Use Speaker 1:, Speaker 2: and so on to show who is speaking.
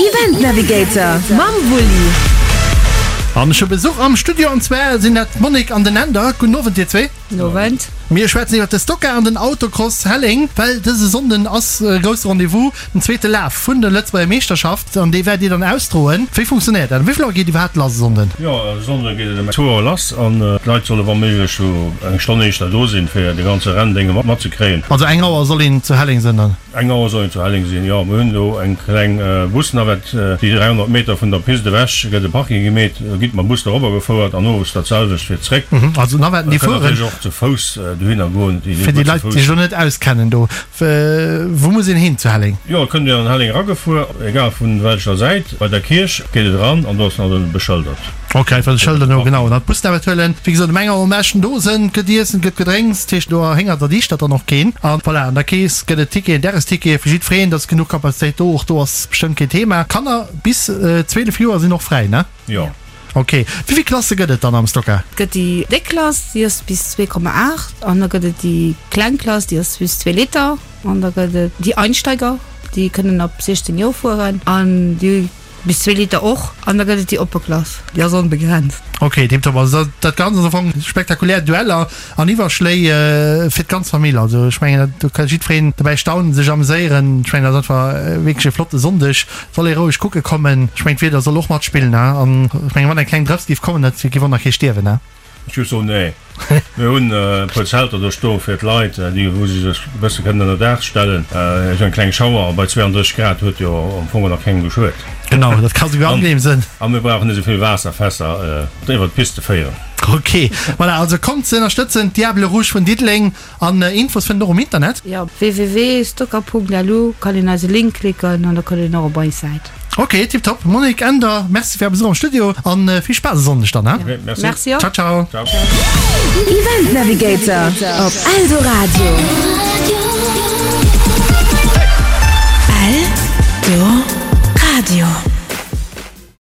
Speaker 1: Event Navigator mam Wulli.
Speaker 2: An ech hu Besuch am Studio an zwar sinn dat d'Monique an den Änder. Gudden Owend dir zwee.
Speaker 3: Gudden Owend.
Speaker 2: Mir schwätzen iwwert de Stocker an den Autocross Helleng, well dëse Sonnden ass e grousse Rendez-vous, den zweete Laf vun der Lëtzebuerger Meeschterschaft an dee wäert dir dann ausdroen. Wéi funktionéiert dat? Wéi vill Auer geet iwwerhaapt lass e Sonnden?
Speaker 4: Jo, e Sonnde geet et ëm zwou Auer lass an d'Leit solle wa méiglech sou eng Stonn éischter do sinn, fir de ganze Renndénge matzekréien.
Speaker 2: Also eng Auer soll een zu Helleng sinn dann?
Speaker 4: Eng Auer soll een zu Helleng sinn, jo. Mir hunn do eng kleng Busnavette, déi 300 Meter vun der Pist ewech gëtt e Parking gemeet, do gitt mam Bus dorobber gefouert an owes dat selwecht fir zréck.
Speaker 2: Also Navetten, déi
Speaker 4: Et kënnt
Speaker 2: fueren.
Speaker 4: natierlech och ze Fouss dohinner goen, déi
Speaker 2: Fir déi
Speaker 4: gutt ze
Speaker 2: Leit, déi
Speaker 4: Fouss.
Speaker 2: sech elo net auskennen do, wou muss een hin zu Helleng?
Speaker 4: Jo, et kënnt een an Helleng eragefuer, egal vun welcher Säit. Bei der Kierch geet et eran an do ass nach beschëldert.
Speaker 2: Ok, well Schëlder no, genau, an d'Busnavette huelen. Wéi gesot, um eng Auer um Eschen do sënn, gëtt Iessen, gëtt Gedrénks, dat heescht do erhéngert a dichtert dann och keen. An voilà, an der Kees gëtt et Ticketen, Dagestickete fir jiddwereen, et ass genuch Kapazitéit do, och do ass bestëmmt keen Thema. Kanner bis 12 Joer sinn och fräi, ne?
Speaker 4: Jo.
Speaker 2: Ok. Wéi vill Klasse gëtt et dann am Stocker?
Speaker 3: Et gëtt déi déck Klass, déi ass bis 2,8 an da gëtt et déi kleng Klass, déi ass bis 2 Liter an da gëtt et déi Einsteiger, déi kënnen ab 16 Joer fueren an déi Bis zwee Liter och. An da gëtt et déi oppe Klass, déi ass onbegrenzt.
Speaker 2: Ok, tiptop. Also dat Ganzt ass am Fong spektakulär Dueller an Iwwerschléi fir d'ganz Famill. Also ech mengen do ka jiddwereen dobäi staunen, sech ameséieren. Ech mengen dat ass einfach wierklech e flotte Sonndeg. Soll ee roueg kucke kommen. Ech mengen d'Wieder soll och matspillen an ech mengen wann eng kleng Drëps géif kommen, dat géif och nach kee stierwen.
Speaker 4: Ech géif soen, nee. Mir hunn e puer Zelter do stoe fir d'Leit, déi wou se sech e bësse kënnen ënner Daach stellen. Esou eng kleng Schauer bei 32 Grad huet jo am Fong nach kengem geschuet.
Speaker 2: Genau, dat ka souguer angenehm sënn.
Speaker 4: A mir brauchen net esou vill Waasserfässer iwwer d'Pist ze féieren.
Speaker 2: Ok, voilà, also kommt se ënnerstëtzen, d'Diables Rouges vun Diddeleng. An Infos fënnt een och um Internet.
Speaker 3: Jo, www.stocker.lu kann een eise Link klicken an da kënnt een och op eis Säit.
Speaker 2: Ok, tiptop. Monique, Änder, Merci fir är Besuch am Studio an vill Spaass e Sonndeg dann,
Speaker 4: he? Ok, merci.
Speaker 3: Merci och.
Speaker 2: Ciao, ciao.
Speaker 4: Ciao.
Speaker 1: Event Navigator op Eldoradio.